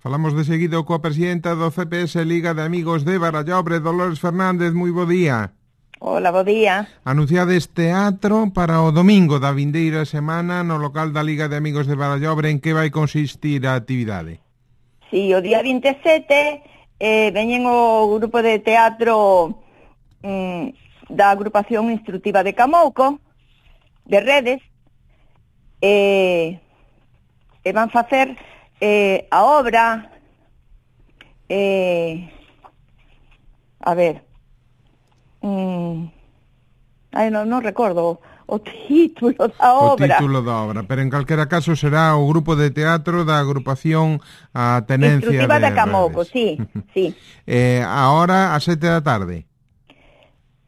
Falamos de seguido coa presidenta do CPS Liga de Amigos de Barallobre, Dolores Fernández, moi bo día. Hola, bo día. Anunciades teatro para o domingo da vindeira semana no local da Liga de Amigos de Barallobre. En que vai consistir a actividade? Sí, o día 27 veñen o grupo de teatro da agrupación instructiva de Camouco, de Redes, e van facer a obra, a ver, non recordo o título da obra. O título da obra, pero en calquera caso será o grupo de teatro da agrupación a Tenencia Instructiva de Camouco, Redes. sí. A hora a 7 da tarde.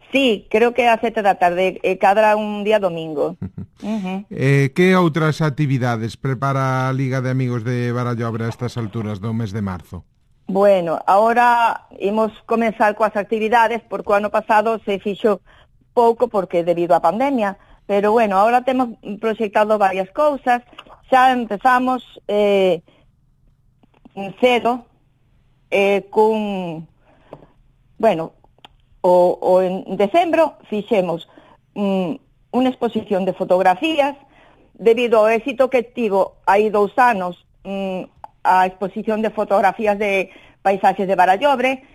Sí, creo que a 7 da tarde, cadra un día domingo. Que outras actividades prepara a Liga de Amigos de Barallobre a estas alturas do mes de marzo? Bueno, ahora imos comenzar coas actividades, porque o ano pasado se fixo pouco porque debido á pandemia, pero bueno, ahora temos proxectado varias cousas. Xa empezamos cedo cun, bueno, o en decembro fixemos unha exposición de fotografías debido ao éxito que tivo hai 2 anos a exposición de fotografías de paisaxes de Barallobre,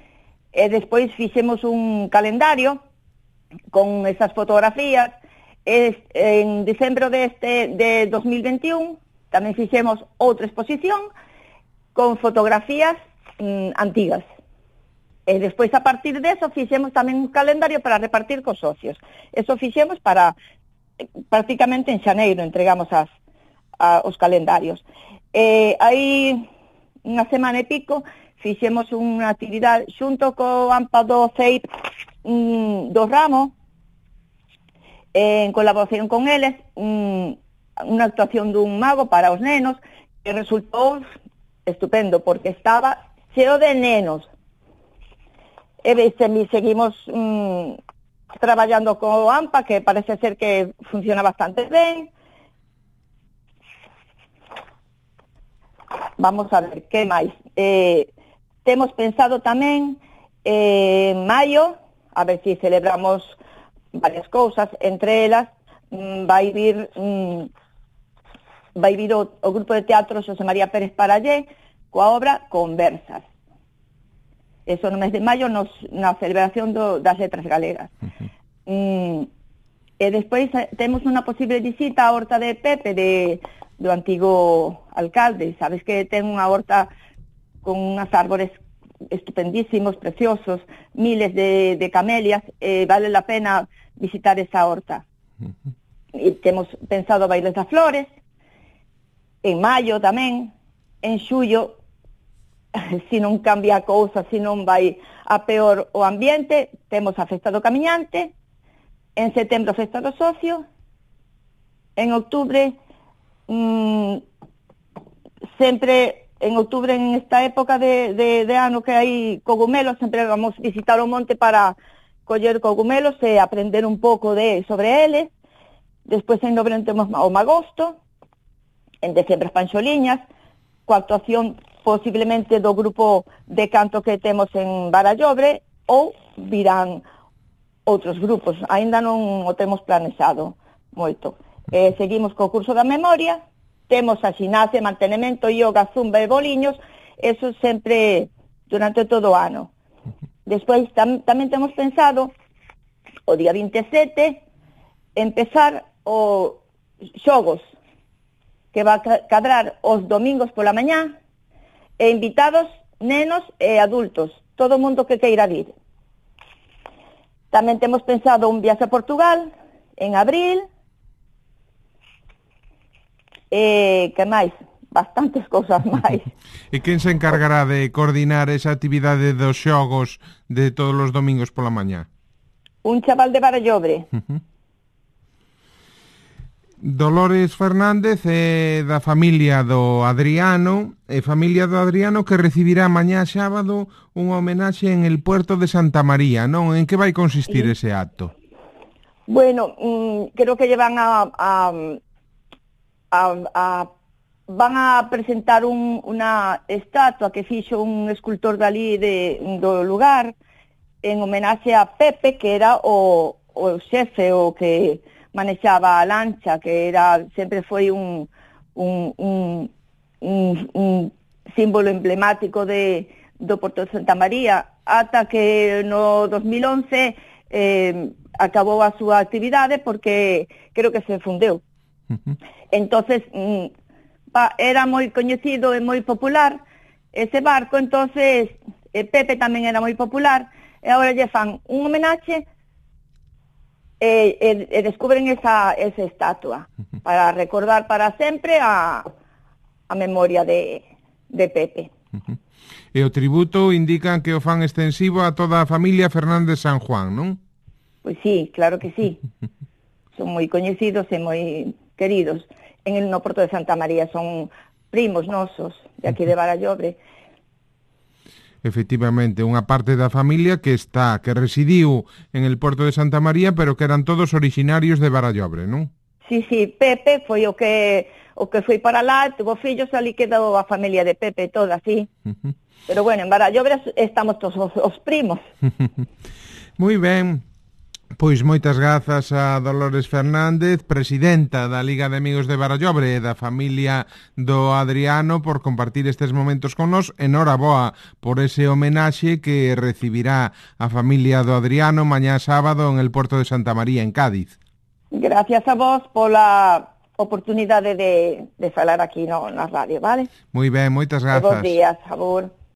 e despois fixemos un calendario con esas fotografías. En decembro de 2021 tamén fixemos outra exposición con fotografías antigas. E despois, a partir deso, fixemos tamén un calendario para repartir cos socios. Eso fixemos para, prácticamente en xaneiro, entregamos os calendarios. Hai unha semana e pico, fixemos unha actividade xunto co AMPA do CEIP do Ramo, en colaboración con eles, unha actuación dun mago para os nenos, que resultou estupendo, porque estaba cheo de nenos. E seguimos traballando co AMPA, que parece ser que funciona bastante ben. Vamos a ver, que máis? Temos pensado tamén en maio, a ver si celebramos varias cousas, entre elas vai vir o grupo de teatro Xosé María Pérez Parallé coa obra Conversas. Eso no mes de maio na celebración das letras galegas. E despois temos unha posible visita á horta de Pepe do antigo alcalde. Sabes que ten unha horta con unhas árbores estupendísimos, preciosos, miles de camelias, vale la pena visitar esa horta. E temos pensado bailes das flores, en maio tamén, en xullo, se non cambia a cousa, se non vai a peor o ambiente, temos a Festa do Camiñante, en setembro a Festa do Socio, en outubro, sempre en outubro, en esta época de ano que hai cogumelos, sempre vamos visitar o monte para coller cogumelos e aprender un pouco sobre eles. Despois en novembro temos o Magosto, en decembro as Panxoliñas, coa actuación posiblemente do grupo de canto que temos en Barallobre, ou virán outros grupos. Aínda non o temos planexado moito. Seguimos co curso da memoria, temos a ximnasia, mantenemento, yoga, zumba e boliños, eso sempre durante todo o ano. Despois tamén temos pensado o día 27 empezar os xogos que va a cadrar os domingos pola mañá, e invitados nenos e adultos, todo o mundo que queira vir. Tamén temos pensado un viaxe a Portugal en abril, que máis? Bastantes cousas máis. E quen se encargará de coordinar esa actividade dos xogos de todos os domingos pola mañá? Un chaval de Barallobre. Dolores Fernández é da familia do Adriano, que recibirá mañá sábado unha homenaxe en el Puerto de Santa María, non? En que vai consistir ese acto? Bueno, creo que llevan a van a presentar unha estatua que fixo un escultor dali do lugar en homenaxe a Pepe, que era o xefe, o que manexaba a lancha, que sempre foi un símbolo emblemático do Porto de Santa María, ata que no 2011 acabou a súa actividade porque creo que se fundeu. Entonces era moi coñecido e moi popular ese barco, entonces Pepe tamén era moi popular, e agora lle fan un homenaxe e descubren esa estatua para recordar para sempre a memoria de Pepe. E o tributo indican que o fan extensivo a toda a familia Fernández San Juan, non? Pois sí, claro que sí. Son moi coñecidos e moi queridos. No Porto de Santa María son primos nosos de aquí de Barallobre. Efectivamente, unha parte da familia que residiu en el Porto de Santa María, pero que eran todos originarios de Barallobre, non? Sí, Pepe foi o que foi para lá, tuvo fillos, ali quedou a familia de Pepe toda, sí. Pero bueno, en Barallobre estamos todos os primos. Moi ben. Pois moitas grazas a Dolores Fernández, presidenta da Liga de Amigos de Barallobre e da familia do Adriano, por compartir estes momentos con nós. Enhoraboa por ese homenaxe que recibirá a familia do Adriano mañá sábado en el Porto de Santa María, en Cádiz. Gracias a vos pola oportunidade de falar aquí na radio, vale? Moi ben, moitas grazas. Bos días, abur.